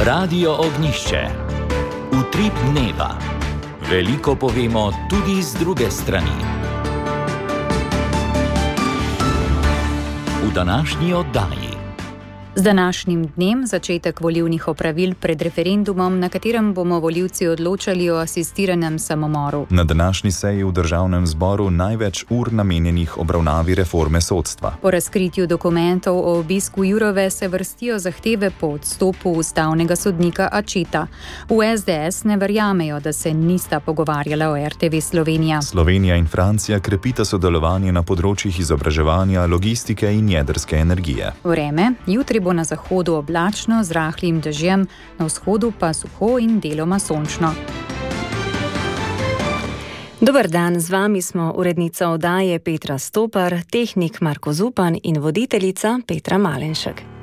Radio Ognišče. Utrip dneva. Veliko povemo tudi z druge strani. V današnji oddaji. Z današnjim dnem začetek volilnih opravil pred referendumom, na katerem bomo volivci odločali o asistiranem samomoru. Na današnji seji v Državnem zboru največ ur namenjenih obravnavi reforme sodstva. Po razkritju dokumentov o obisku Jourove se vrstijo zahteve po odstopu ustavnega sodnika Accetta. V SDS ne verjamejo, da se nista pogovarjala o RTV Slovenija. Slovenija in Francija krepita sodelovanje na področjih izobraževanja, logistike in jedrske energije. Vreme, jutri bo na zahodu oblačno z rahlim dežjem, na vzhodu pa suho in deloma sončno. Dober dan, z vami smo urednica oddaje Petra Stopar, tehnik Marko Zupan in voditeljica Petra Malenšek.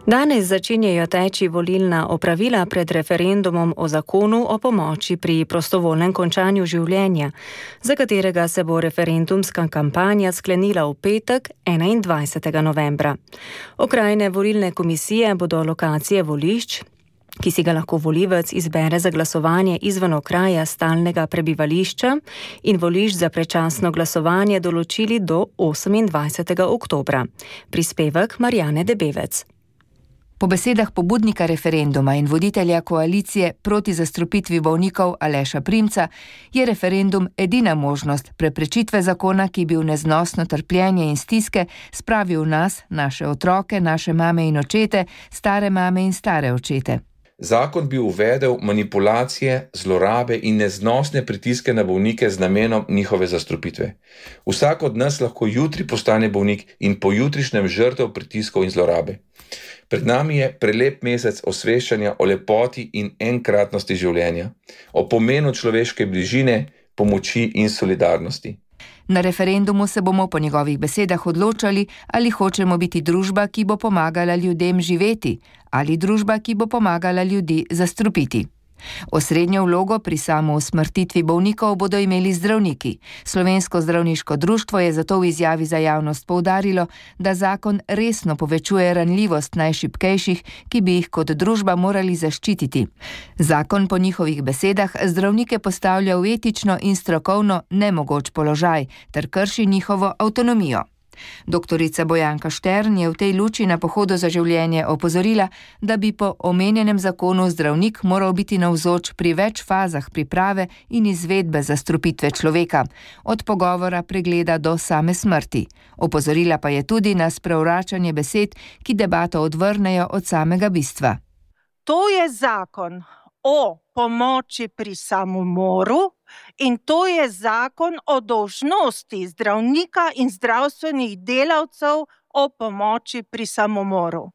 Danes začenjajo teči volilna opravila pred referendumom o zakonu o pomoči pri prostovoljnem končanju življenja, za katerega se bo referendumska kampanja sklenila v petek 21. novembra. Okrajne volilne komisije bodo lokacije volišč, ki si ga lahko volivec izbere za glasovanje izven okraja stalnega prebivališča, in volišč za predčasno glasovanje določili do 28. oktobra. Prispevek Marjane Debevec. Po besedah pobudnika referenduma in voditelja koalicije proti zastrupitvi bolnikov Aleša Primca je referendum edina možnost preprečitve zakona, ki bi v neznosno trpljenje in stiske spravil nas, naše otroke, naše mame in očete, stare mame in stare očete. Zakon bi uvedel manipulacije, zlorabe in neznosne pritiske na bolnike z namenom njihove zastrupitve. Vsak od nas lahko jutri postane bolnik in pojutrišnjem žrtev pritiskov in zlorabe. Pred nami je prelep mesec osveščanja o lepoti in enkratnosti življenja, o pomenu človeške bližine, pomoči in solidarnosti. Na referendumu se bomo po njegovih besedah odločali, ali hočemo biti družba, ki bo pomagala ljudem živeti, ali družba, ki bo pomagala ljudi zastrupiti. Osrednjo vlogo pri samousmrtitvi bolnikov bodo imeli zdravniki. Slovensko zdravniško društvo je zato v izjavi za javnost poudarilo, da zakon resno povečuje ranljivost najšibkejših, ki bi jih kot družba morali zaščititi. Zakon po njihovih besedah zdravnike postavlja v etično in strokovno nemogoč položaj ter krši njihovo avtonomijo. Doktorica Bojanka Štern je v tej luči na Pohodu za življenje opozorila, da bi po omenjenem zakonu zdravnik moral biti navzoč pri več fazah priprave in izvedbe zastrupitve človeka, od pogovora, pregleda do same smrti. Opozorila pa je tudi na sprevračanje besed, ki debato odvrnejo od samega bistva. To je zakon o pomoči pri samomoru in to je zakon o dolžnosti zdravnika in zdravstvenih delavcev o pomoči pri samomoru.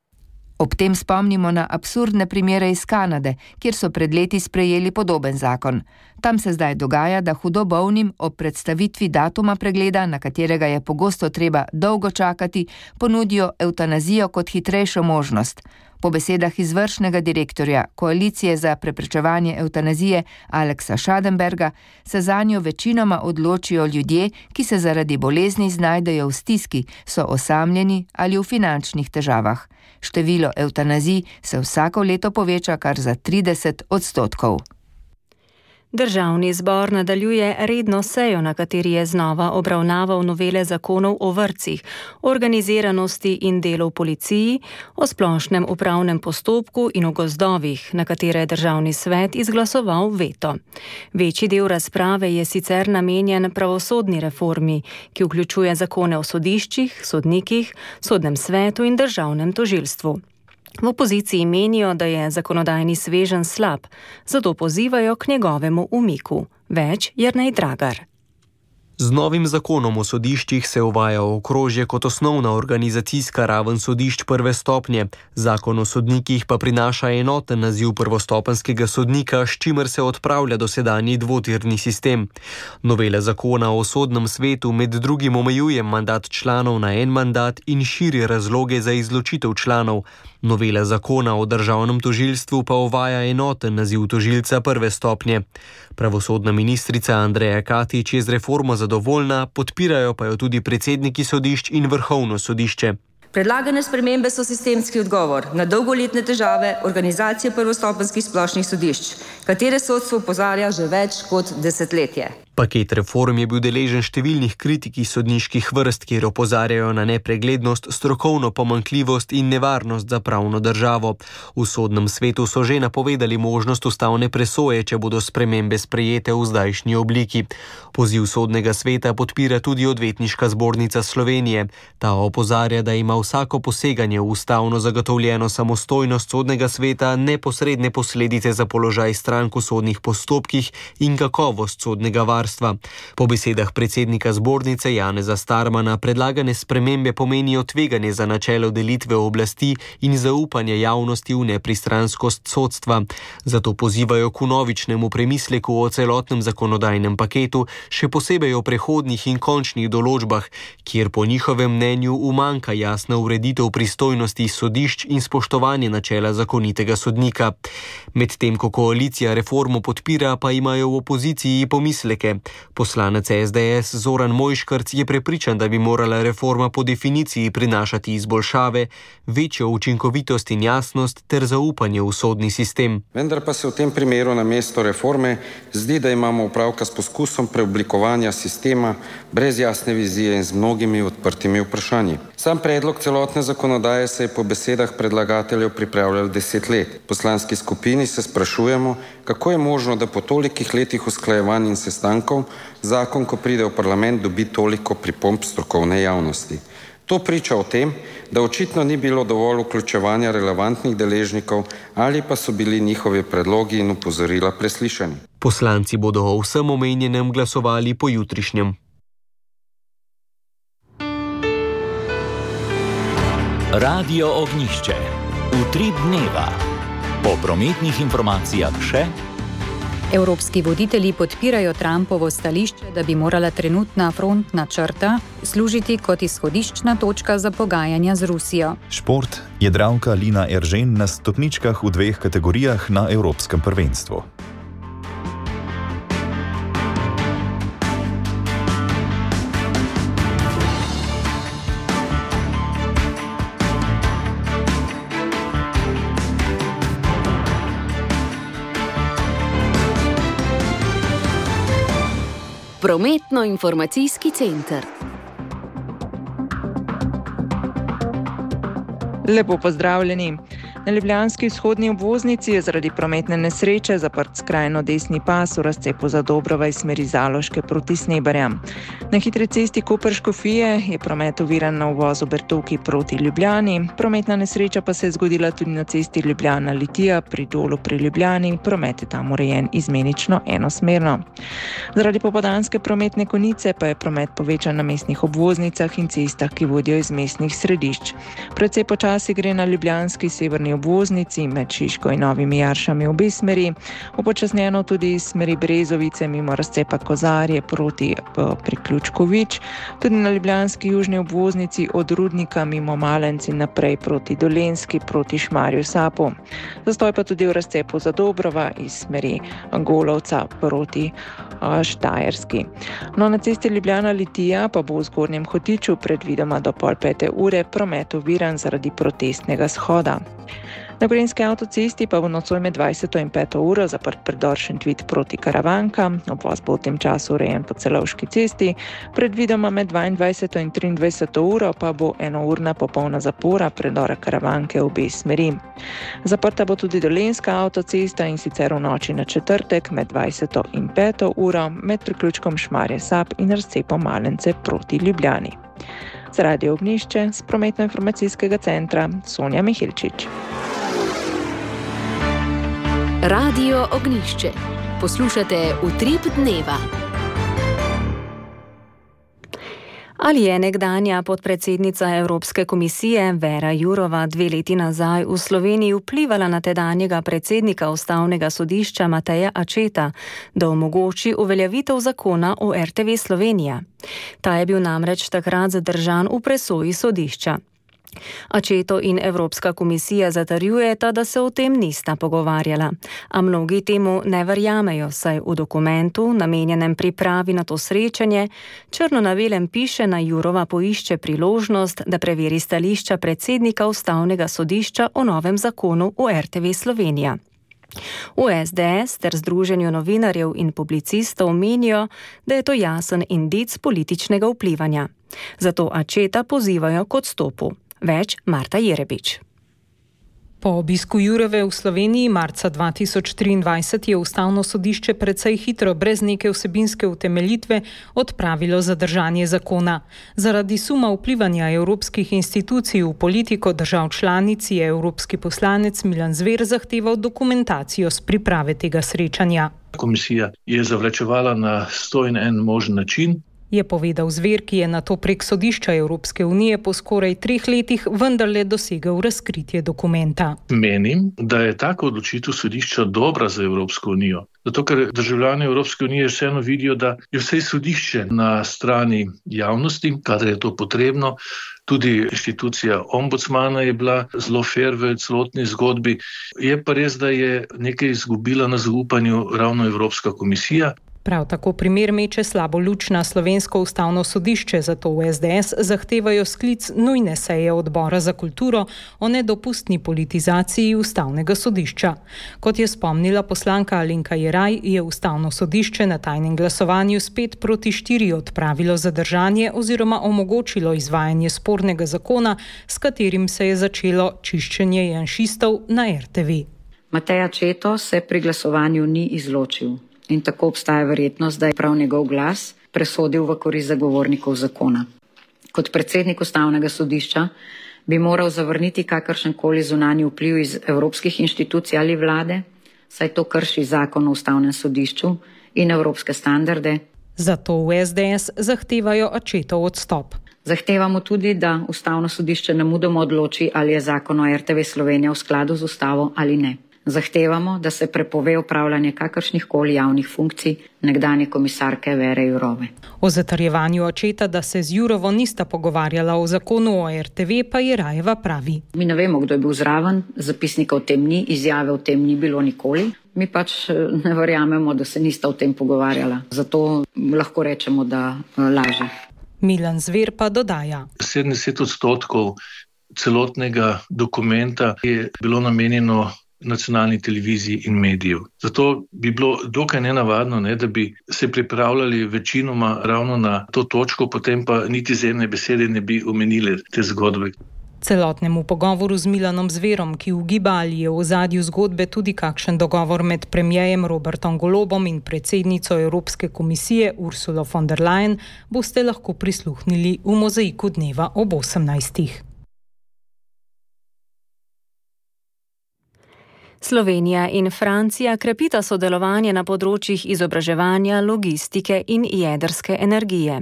Ob tem spomnimo na absurdne primere iz Kanade, kjer so pred leti sprejeli podoben zakon. Tam se zdaj dogaja, da hudo bolnim ob predstavitvi datuma pregleda, na katerega je pogosto treba dolgo čakati, ponudijo evtanazijo kot hitrejšo možnost. Po besedah izvršnega direktorja Koalicije za preprečevanje evtanazije Aleksa Schadenberga se zanjo večinoma odločijo ljudje, ki se zaradi bolezni znajdejo v stiski, so osamljeni ali v finančnih težavah. Število evtanazij se vsako leto poveča kar za 30%. Državni zbor nadaljuje redno sejo, na kateri je znova obravnaval novele zakonov o vrtcih, organiziranosti in delu v policiji, o splošnem upravnem postopku in o gozdovih, na katere je Državni svet izglasoval veto. Večji del razprave je sicer namenjen pravosodni reformi, ki vključuje zakone o sodiščih, sodnikih, sodnem svetu in državnem tožilstvu. V opoziciji menijo, da je zakonodajni sveženj slab, zato pozivajo k njegovemu umiku. Več Jernej Dragar. Z novim zakonom o sodiščih se uvaja okrožje kot osnovna organizacijska raven sodišč prve stopnje. Zakon o sodnikih pa prinaša enoten naziv prvostopenjskega sodnika, s čimer se odpravlja dosedanji dvotirni sistem. Novela zakona o sodnem svetu med drugim omejuje mandat članov na en mandat in širi razloge za izločitev članov. Novela zakona o državnem tožilstvu pa uvaja enoten naziv tožilca prve stopnje. Pravosodna ministrica Andreja Katič je z reformo zadovoljna, podpirajo pa jo tudi predsedniki sodišč in Vrhovno sodišče. Predlagane spremembe so sistemski odgovor na dolgoletne težave organizacije prvostopenjskih splošnih sodišč, katere sodstvo opozarja že več kot desetletje. Paket reform je bil deležen številnih kritik iz sodniških vrst, kjer opozarjajo na nepreglednost, strokovno pomanjkljivost in nevarnost za pravno državo. V sodnem svetu so že napovedali možnost ustavne presoje, če bodo spremembe sprejete v zdajšnji obliki. Poziv sodnega sveta podpira tudi Odvetniška zbornica Slovenije. Ta opozarja, da ima vsako poseganje v ustavno zagotovljeno samostojnost sodnega sveta neposredne posledice za položaj strank v sodnih postopkih in kakovost sodnega varstva. Po besedah predsednika zbornice Janeza Starmana predlagane spremembe pomenijo tveganje za načelo delitve oblasti in zaupanje javnosti v nepristranskost sodstva. Zato pozivajo k vnovičnemu premisleku o celotnem zakonodajnem paketu, še posebej o prehodnih in končnih določbah, kjer po njihovem mnenju umanjka jasna ureditev pristojnosti sodišč in spoštovanje načela zakonitega sodnika. Medtem ko koalicija reformo podpira, pa imajo v opoziciji pomisleke. Poslanec SDS Zoran Mojškrc je prepričan, da bi morala reforma po definiciji prinašati izboljšave, večjo učinkovitost in jasnost ter zaupanje v sodni sistem. Vendar pa se v tem primeru namesto reforme zdi, da imamo opravka s poskusom preoblikovanja sistema brez jasne vizije in z mnogimi odprtimi vprašanji. Sam predlog celotne zakonodaje se je po besedah predlagateljev pripravljal 10 let. V poslanski skupini se sprašujemo, kako je možno, da po tolikih letih usklajevanj in sestankov zakon, ko pride v parlament, dobi toliko pripomb strokovne javnosti. To priča o tem, da očitno ni bilo dovolj vključevanja relevantnih deležnikov ali pa so bili njihovi predlogi in opozorila preslišani. Poslanci bodo o vsem omenjenem glasovali po jutrišnjem. Radio Ognjišče. Utrip dneva. Po prometnih informacijah še. Evropski voditelji podpirajo Trumpovo stališče, da bi morala trenutna frontna črta služiti kot izhodiščna točka za pogajanja z Rusijo. Šport. Jadralka Lina Eržen na stopničkah v 2 kategorijah na Evropskem prvenstvu. Prometno-informacijski center. Lepo pozdravljeni. Na ljubljanski vzhodni obvoznici je zaradi prometne nesreče zaprt skrajno desni pas v razcepu Zadobrova iz smeri Zaloške proti Snebarjam. Na hitri cesti Koper-Škofije je promet oviran na uvozu Bertovki proti Ljubljani. Prometna nesreča pa se je zgodila tudi na cesti Ljubljana-Litija pri Dolu pri Ljubljani. Promet je tam urejen izmenično enosmerno. Zaradi popoldanske prometne konice pa je promet povečan na mestnih obvoznicah in cestah, ki vodijo iz mestnih središč. Precej počasi gre na ljubljanski severni obvoznici med Šiško in Novimi Jaršami v obe smeri, upočasnjeno tudi iz smeri Brezovice mimo razcepa Kozarje proti priključku Vič, tudi na ljubljanski južni obvoznici od Rudnika mimo Malenci naprej proti Dolenjski proti Šmarju Sapu. Zastoj pa tudi v razcepu Zadobrova iz smeri Golovca proti Štajerski. No, na cesti Ljubljana-Litija pa bo v Zgornjem Hotiču predvidoma do 4:30 promet oviran zaradi protestnega shoda. Na Gorenjski avtocesti pa bo nocoj med 20. in 5. uro zaprt predor Šentvid proti Karavankam. Obvoz bo v tem času urejen po Celovški cesti. Predvidoma med 22. in 23. uro pa bo enourna popolna zapora predora Karavanke v obe smeri. Zaprta bo tudi Dolenjska avtocesta in sicer v noči na četrtek med 20. in 5. uro med priključkom Šmarje Sap in razcepom Malence proti Ljubljani. Za Radio Ognjišče z prometno-informacijskega centra Sonja Mihilčič. Radio Ognjišče. Poslušate Utrip dneva. Ali je nekdanja podpredsednica Evropske komisije Vera Jourova 2 leti nazaj v Sloveniji vplivala na tedanjega predsednika Ustavnega sodišča Mateja Acceta, da omogoči uveljavitev zakona o RTV Slovenija? Ta je bil namreč takrat zadržan v presoji sodišča. Accetto in Evropska komisija zatrjujeta, da se o tem nista pogovarjala. A mnogi temu ne verjamejo, saj v dokumentu, namenjenem pripravi na to srečanje, črno na belem piše, da Jourova poišče priložnost, da preveri stališča predsednika Ustavnega sodišča o novem zakonu o RTV Slovenija. V SDS ter Združenju novinarjev in publicistov menijo, da je to jasen indic političnega vplivanja. Zato Accetta pozivajo k odstopu. Več Marta Jerebič. Po obisku Jourove v Sloveniji marca 2023 je Ustavno sodišče precej hitro, brez neke vsebinske utemeljitve, odpravilo zadržanje zakona. Zaradi suma vplivanja evropskih institucij v politiko držav članic je evropski poslanec Milan Zver zahteval dokumentacijo s priprave tega srečanja. Komisija je zavlačevala na 101 možen način. Je povedal Zver, ki je nato prek sodišča Evropske unije po skoraj 3 letih vendarle dosegel razkritje dokumenta. Menim, da je taka odločitev sodišča dobra za Evropsko unijo. Zato, ker državljani Evropske unije vseeno vidijo, da je vse sodišče na strani javnosti, kadar je to potrebno. Tudi inštitucija ombudsmana je bila zelo fair v celotni zgodbi. Je pa res, da je nekaj izgubila na zaupanju ravno Evropska komisija. Prav tako primer meče slabo luč na slovensko ustavno sodišče, zato v SDS zahtevajo sklic nujne seje odbora za kulturo o nedopustni politizaciji ustavnega sodišča. Kot je spomnila poslanka Alenka Jeraj, je ustavno sodišče na tajnem glasovanju s 5-4 odpravilo zadržanje oziroma omogočilo izvajanje spornega zakona, s katerim se je začelo čiščenje janšistov na RTV. Matej Accetto se pri glasovanju ni izločil. In tako obstaja verjetnost, da je prav njegov glas presodil v korist zagovornikov zakona. Kot predsednik Ustavnega sodišča bi moral zavrniti kakršenkoli zunanji vpliv iz evropskih inštitucij ali vlade, saj to krši zakon o Ustavnem sodišču in evropske standarde. Zato v SDS zahtevajo Accettov odstop. Zahtevamo tudi, da Ustavno sodišče nemudoma odloči, ali je zakon o RTV Slovenija v skladu z ustavo ali ne. Zahtevamo, da se prepove upravljanje kakršnihkoli javnih funkcij nekdanje komisarke Vere Jourove. O zatrjevanju Accetta, da se z Jourovo nista pogovarjala o zakonu o RTV, pa Jerajeva pravi. Mi ne vemo, kdo je bil zraven, zapisnika o tem ni, izjave o tem ni bilo nikoli. Mi pač ne verjamemo, da se nista o tem pogovarjala. Zato lahko rečemo, da laže. Milan Zver pa dodaja. 70% celotnega dokumenta je bilo namenjeno nacionalni televiziji in medijev. Zato bi bilo dokaj nenavadno, da bi se pripravljali večinoma ravno na to točko, potem pa niti z ene besede ne bi omenili te zgodbe. Celotnemu pogovoru z Milanom Zverom, ki ugiba, ali je v ozadju zgodbe tudi kakšen dogovor med premierjem Robertom Golobom in predsednico Evropske komisije Ursulo von der Leyen, boste lahko prisluhnili v Mozaiku dneva ob 18. Slovenija in Francija krepita sodelovanje na področjih izobraževanja, logistike in jedrske energije.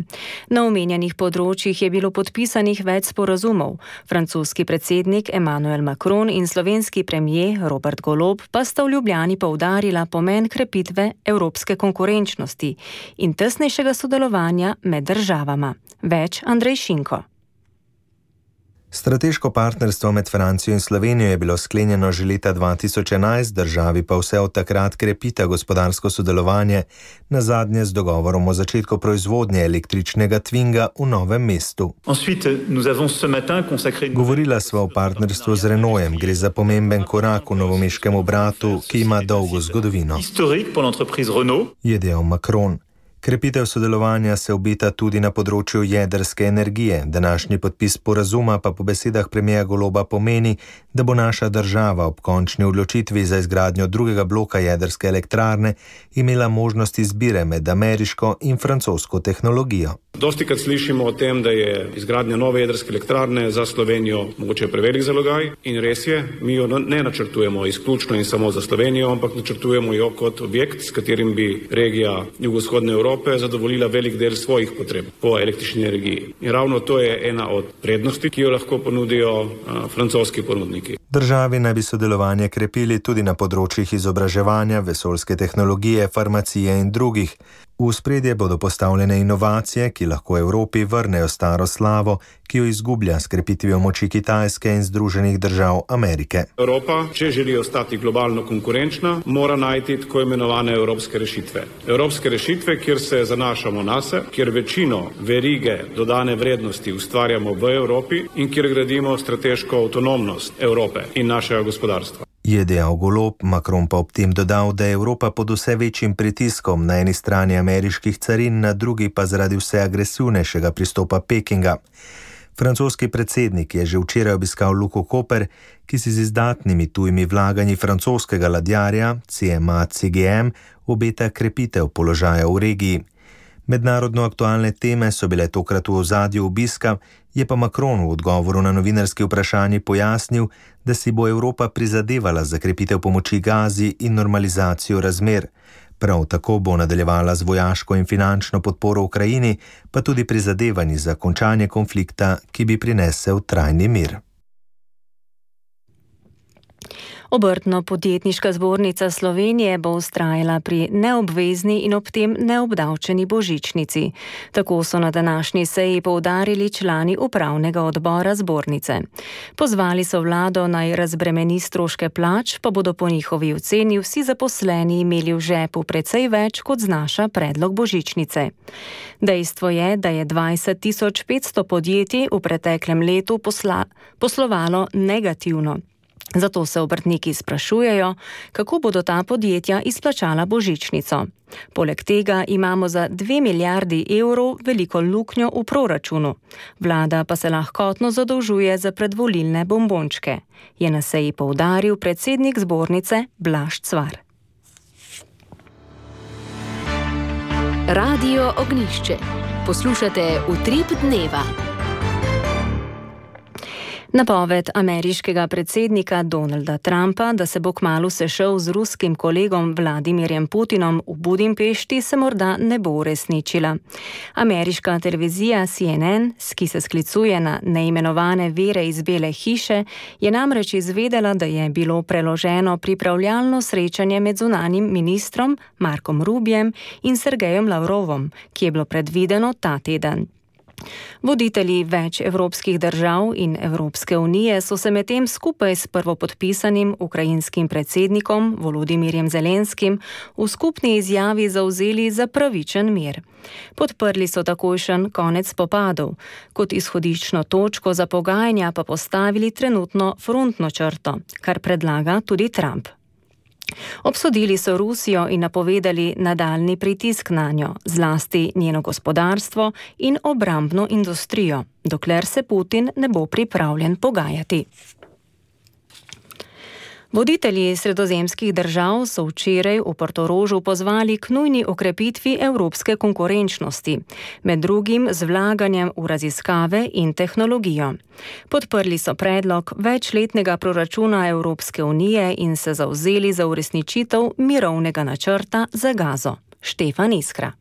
Na omenjenih področjih je bilo podpisanih več sporazumov. Francoski predsednik Emmanuel Macron in slovenski premier Robert Golob pa sta v Ljubljani poudarila pomen krepitve evropske konkurenčnosti in tesnejšega sodelovanja med državama. Več Andrej Šinko. Strateško partnerstvo med Francijo in Slovenijo je bilo sklenjeno že leta 2011, državi pa vse od takrat krepita gospodarsko sodelovanje, nazadnje z dogovorom o začetku proizvodnje električnega Twinga v Novem mestu. Govorila sva o partnerstvu z Renaultom, gre za pomemben korak v novomeškem obratu, ki ima dolgo zgodovino, je dejal Macron. Krepitev sodelovanja se obeta tudi na področju jedrske energije. Današnji podpis sporazuma pa po besedah premierja Goloba pomeni, da bo naša država ob končni odločitvi za izgradnjo drugega bloka jedrske elektrarne imela možnost izbire med ameriško in francosko tehnologijo. Dostikrat slišimo o tem, da je izgradnja nove jedrske elektrarne za Slovenijo mogoče prevelik zalogaj in res je, mi jo ne načrtujemo izključno in samo za Slovenijo, ampak načrtujemo jo kot objekt, s katerim bi regija jugovzhodne Evrope zadovoljila velik del svojih potreb po električni energiji. In ravno to je ena od prednosti, ki jo lahko ponudijo francoski ponudniki. Državi naj bi sodelovanje krepili tudi na področjih izobraževanja, vesoljske tehnologije, farmacije in drugih. V ospredje bodo postavljene inovacije, ki lahko Evropi vrnejo staro slavo, ki jo izgublja s krepitvijo moči Kitajske in Združenih držav Amerike. Evropa, če želi ostati globalno konkurenčna, mora najti tako imenovane evropske rešitve. Evropske rešitve, kjer se zanašamo nase, kjer večino verige dodane vrednosti ustvarjamo v Evropi in kjer gradimo strateško avtonomnost Evrope in našega gospodarstva. Je dejal Golob, Macron pa ob tem dodal, da je Evropa pod vse večjim pritiskom, na eni strani ameriških carin, na drugi pa zaradi vse agresivnejšega pristopa Pekinga. Francoski predsednik je že včeraj obiskal Luko Koper, ki si z izdatnimi tujimi vlaganji francoskega ladjarja CMA CGM obeta krepitev položaja v regiji. Mednarodno aktualne teme so bile tokrat v ozadju obiska, je pa Macron v odgovoru na novinarski vprašanji pojasnil, da si bo Evropa prizadevala za krepitev pomoči Gazi in normalizacijo razmer. Prav tako bo nadaljevala z vojaško in finančno podporo Ukrajini, pa tudi prizadevanji za končanje konflikta, ki bi prinesel trajni mir. Obrtno-podjetniška zbornica Slovenije bo vztrajala pri neobvezni in ob tem neobdavčeni božičnici. Tako so na današnji seji poudarili člani upravnega odbora zbornice. Pozvali so vlado naj razbremeni stroške plač, pa bodo po njihovi oceni vsi zaposleni imeli v žepu precej več, kot znaša predlog božičnice. Dejstvo je, da je 20.500 podjetij v preteklem letu poslovalo negativno. Zato se obrtniki sprašujejo, kako bodo ta podjetja izplačala božičnico. Poleg tega imamo za 2 milijardi evrov veliko luknjo v proračunu. Vlada pa se lahkotno zadolžuje za predvolilne bombončke, je na seji poudaril predsednik zbornice Blaž Cvar. Radio Ognjišče. Poslušate Utrip dneva. Napoved ameriškega predsednika Donalda Trumpa, da se bo kmalu sešel z ruskim kolegom Vladimirjem Putinom v Budimpešti, se morda ne bo uresničila. Ameriška televizija CNN, ki se sklicuje na neimenovane vire iz Bele hiše, je namreč izvedela, da je bilo preloženo pripravljalno srečanje med zunanjim ministrom Markom Rubijem in Sergejem Lavrovom, ki je bilo predvideno ta teden. Voditelji več evropskih držav in Evropske unije so se medtem skupaj s prvopodpisanim ukrajinskim predsednikom Volodimirjem Zelenskim v skupni izjavi zavzeli za pravičen mir. Podprli so takojšen konec spopadov, kot izhodiščno točko za pogajanja pa postavili trenutno frontno črto, kar predlaga tudi Trump. Obsodili so Rusijo in napovedali nadaljni pritisk nanjo, zlasti njeno gospodarstvo in obrambno industrijo, dokler se Putin ne bo pripravljen pogajati. Voditelji sredozemskih držav so včeraj v Portorožu pozvali k nujni okrepitvi evropske konkurenčnosti, med drugim z vlaganjem v raziskave in tehnologijo. Podprli so predlog večletnega proračuna Evropske unije in se zavzeli za uresničitev mirovnega načrta za Gazo. Štefan Iskra.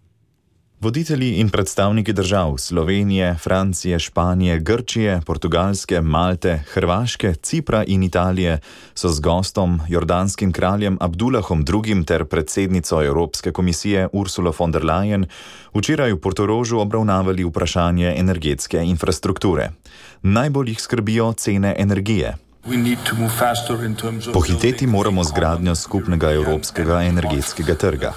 Voditelji in predstavniki držav Slovenije, Francije, Španije, Grčije, Portugalske, Malte, Hrvaške, Cipra in Italije so z gostom, jordanskim kraljem Abdullahom II. Ter predsednico Evropske komisije Ursulo von der Leyen včeraj v Portorožu obravnavali vprašanje energetske infrastrukture. Najbolj jih skrbijo cene energije. Pohiteti moramo z gradnjo skupnega evropskega energetskega trga.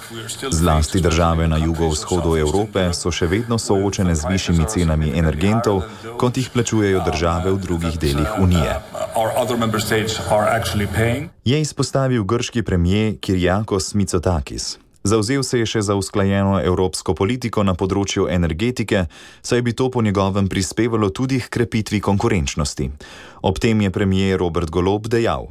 Zlasti države na jugovzhodu Evrope so še vedno soočene z višjimi cenami energentov, kot jih plačujejo države v drugih delih Unije. Je izpostavil grški premier Kyriakos Mitsotakis. Zavzel se je še za usklajeno evropsko politiko na področju energetike, saj bi to po njegovem prispevalo tudi k krepitvi konkurenčnosti. Ob tem je premier Robert Golob dejal: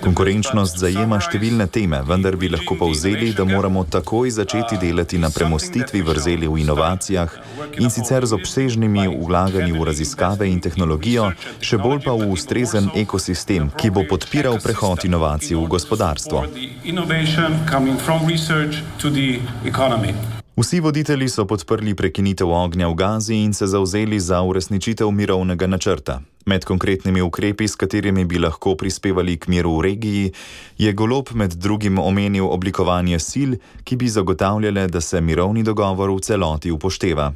konkurenčnost zajema številne teme, vendar bi lahko povzeli, da moramo takoj začeti delati na premostitvi vrzeli v inovacijah in sicer z obsežnimi vlaganji v raziskave in tehnologijo, še bolj pa v ustrezen ekosistem, ki bo podpiral prehod inovacij v gospodarstvo. Vsi voditelji so podprli prekinitev ognja v Gazi in se zavzeli za uresničitev mirovnega načrta. Med konkretnimi ukrepi, s katerimi bi lahko prispevali k miru v regiji, je Golob med drugim omenil oblikovanje sil, ki bi zagotavljale, da se mirovni dogovor v celoti upošteva.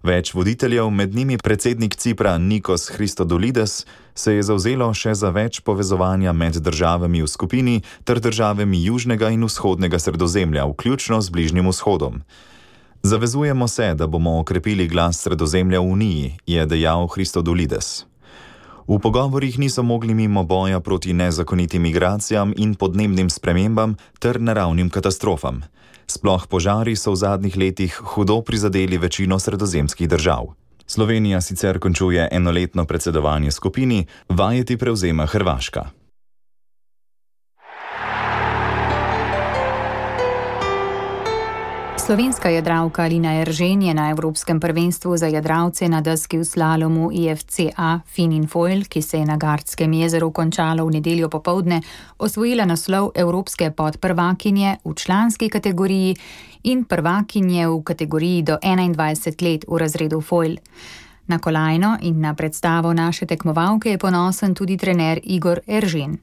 Več voditeljev, med njimi predsednik Cipra Nikos Christodoulides, se je zavzelo še za več povezovanja med državami v skupini ter državami južnega in vzhodnega Sredozemlja, vključno z Bližnjim vzhodom. Zavezujemo se, da bomo okrepili glas Sredozemlja v Uniji, je dejal Christodoulides. V pogovorih niso mogli mimo boja proti nezakonitim migracijam in podnebnim spremembam ter naravnim katastrofam. Sploh požari so v zadnjih letih hudo prizadeli večino sredozemskih držav. Slovenija sicer končuje enoletno predsedovanje skupini, vajeti prevzema Hrvaška. Slovenska jadralka Alina Eržen je na Evropskem prvenstvu za jadralce na deski v slalomu IFCA Finin Foil, ki se je na Gardskem jezeru končalo v nedeljo popoldne, osvojila naslov evropske podprvakinje v članski kategoriji in prvakinje v kategoriji do 21 let v razredu Foil. Na kolajno in na predstavo naše tekmovalke je ponosen tudi trener Igor Eržen.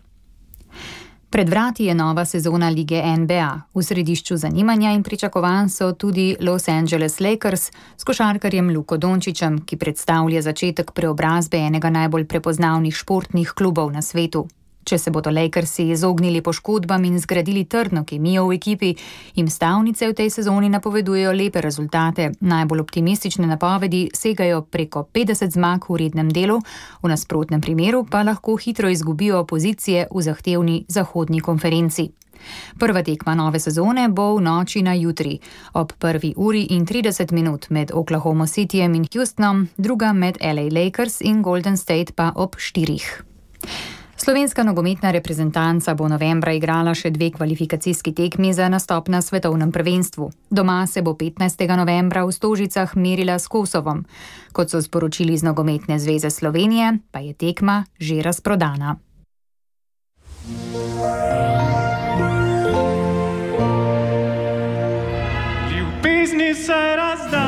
Pred vrati je nova sezona lige NBA. V središču zanimanja in pričakovanj so tudi Los Angeles Lakers s košarkarjem Luko Dončićem, ki predstavlja začetek preobrazbe enega najbolj prepoznavnih športnih klubov na svetu. Če se bodo Lakersi izognili poškodbam in zgradili trdno kemijo v ekipi, jim stavnice v tej sezoni napovedujejo lepe rezultate. Najbolj optimistične napovedi segajo preko 50 zmag v rednem delu, v nasprotnem primeru pa lahko hitro izgubijo pozicije v zahtevni zahodni konferenci. Prva tekma nove sezone bo v noči na jutri, ob 1:30 med Oklahoma Cityjem in Houstonom, druga med LA Lakers in Golden State pa ob 4. Slovenska nogometna reprezentanca bo novembra igrala še 2 kvalifikacijski tekmi za nastop na svetovnem prvenstvu. Doma se bo 15. novembra v Stožicah merila s Kosovom. Kot so sporočili iz Nogometne zveze Slovenije, pa je tekma že razprodana. Ljubezni se razda.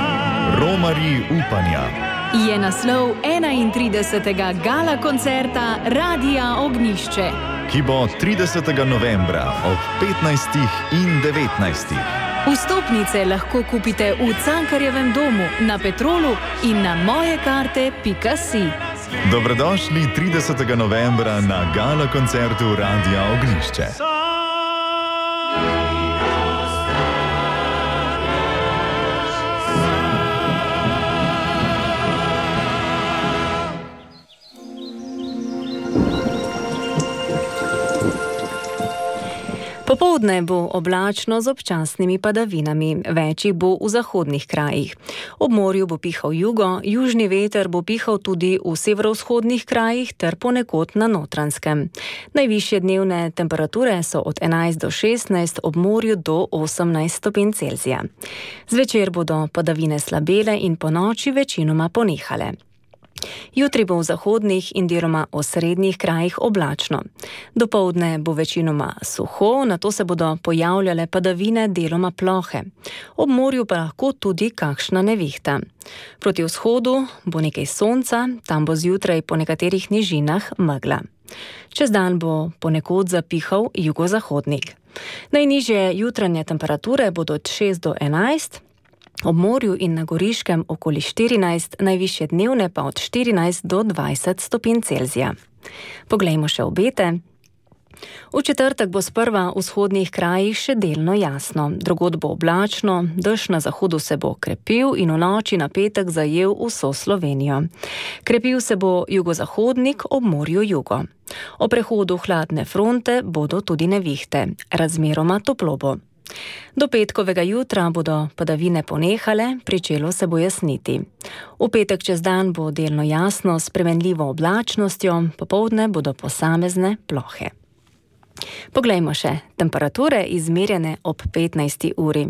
Romarji upanja. Je naslov 31. gala koncerta Radia Ognjišče, ki bo 30. novembra ob 15. in 19. Vstopnice lahko kupite v Cankarjevem domu, na Petrolu in na mojekarte.si. Dobrodošli 30. novembra na gala koncertu Radia Ognjišče. Popoldne bo oblačno z občasnimi padavinami, več bo v zahodnih krajih. Ob morju bo pihal jugo, južni veter bo pihal tudi v severovzhodnih krajih ter ponekod na Notranjskem. Najvišje dnevne temperature so od 11 do 16, ob morju do 18 stopinj Celzija. Zvečer bodo padavine slabele in ponoči večinoma ponehale. Jutri bo v zahodnih in deloma osrednjih krajih oblačno. Dopoldne bo večinoma suho, nato se bodo pojavljale padavine deloma plohe. Ob morju pa lahko tudi kakšna nevihta. Proti vzhodu bo nekaj sonca, tam bo zjutraj po nekaterih nižinah megla. Čez dan bo ponekod zapihal jugozahodnik. Najnižje jutranje temperature bodo od 6 do 11, ob morju in na Goriškem okoli 14, najvišje dnevne pa od 14 do 20 stopinj Celzija. Poglejmo še obete. V četrtek bo sprva v vzhodnih krajih še delno jasno, drugod bo oblačno, dež na zahodu se bo krepil in v noči na petek zajel vso Slovenijo. Krepil se bo jugozahodnik, ob morju jugo. O prehodu hladne fronte bodo tudi nevihte, razmeroma toplo bo. Do petkovega jutra bodo padavine ponehale, pričelo se bo jasniti. V petek čez dan bo delno jasno s spremenljivo oblačnostjo, popoldne bodo posamezne plohe. Poglejmo še temperature izmerjene ob 15. uri.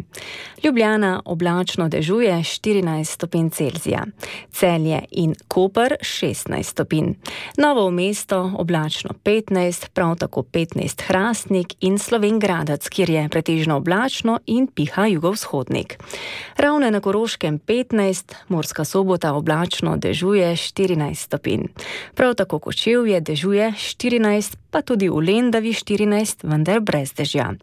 Ljubljana oblačno dežuje 14 stopinj Celzija, Celje in Koper 16 stopinj, Novo mesto oblačno 15, prav tako 15 Hrastnik in Slovenj Gradec, kjer je pretežno oblačno in piha jugovzhodnik. Ravne na Koroškem 15, Murska Sobota oblačno dežuje 14 stopinj. Prav tako Kočevje dežuje 14, pa tudi v Lendavi 14, vendar brez dežja.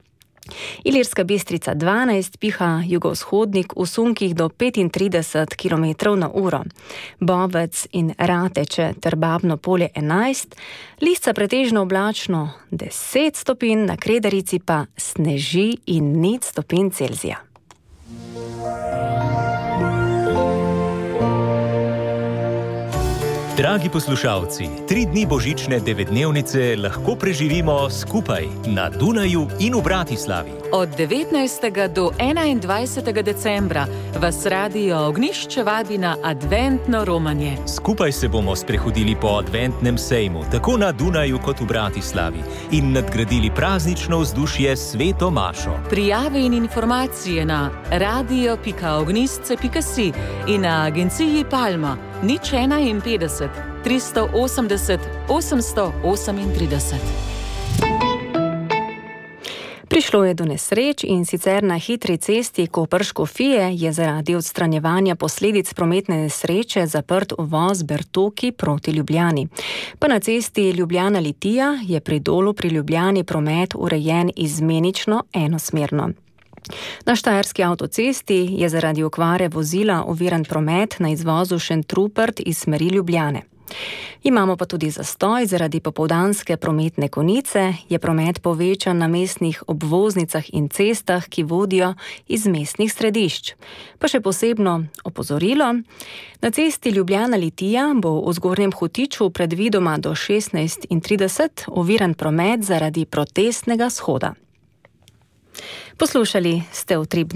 Ilirska Bistrica 12, piha jugovzhodnik v sunkih do 35 km/h. Bovec in Rateče ter Babno Polje 11, Lisca pretežno oblačno 10 stopinj, na Kredarici pa sneži in 0 stopinj Celzija. Dragi poslušalci, 3 dni božične 9-dnevnice lahko preživimo skupaj na Dunaju in v Bratislavi. Od 19. do 21. decembra vas Radio Ognjišče vabi na adventno romanje. Skupaj se bomo sprehodili po adventnem sejmu, tako na Dunaju kot v Bratislavi, in nadgradili praznično vzdušje s Sveto mašo. Prijave in informacije na radio.ognjišče.si in na agenciji Palma 051 380 838. Prišlo je do nesreč, in sicer na hitri cesti Koper-Škofije je zaradi odstranjevanja posledic prometne nesreče zaprt uvoz Bertoki proti Ljubljani. Pa na cesti Ljubljana-Litija je pri Dolu pri Ljubljani promet urejen izmenično enosmerno. Na štajerski avtocesti je zaradi okvare vozila oviran promet na izvozu Šentrupert iz smeri Ljubljane. Imamo pa tudi zastoj zaradi popoldanske prometne konice, je promet povečan na mestnih obvoznicah in cestah, ki vodijo iz mestnih središč. Pa še posebno opozorilo, na cesti Ljubljana-Litija bo v Zgornjem Hotiču predvidoma do 16:30 oviran promet zaradi protestnega shoda. Poslušali ste Utrip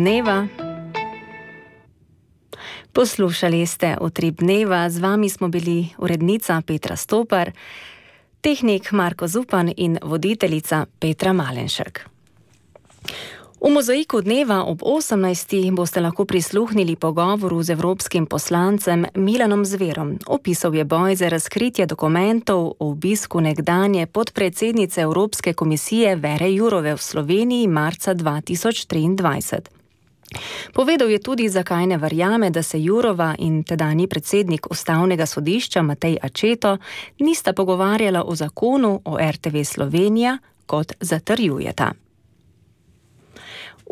dneva. Z vami smo bili urednica Petra Stopar, tehnik Marko Zupan in voditeljica Petra Malenšek. V Mozaiku dneva ob 18. boste lahko prisluhnili pogovoru z evropskim poslancem Milanom Zverom. Opisal je boj za razkritje dokumentov o obisku nekdanje podpredsednice Evropske komisije Vere Jourove v Sloveniji marca 2023. Povedal je tudi, zakaj ne verjame, da se Jourova in tedanji predsednik Ustavnega sodišča Matej Accetto nista pogovarjala o zakonu o RTV Slovenija, kot zatrjujeta.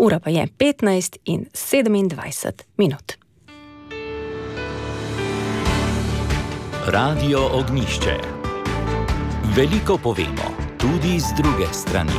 Ura pa je 15:27. Radio Ognjišče. Veliko povemo, tudi z druge strani.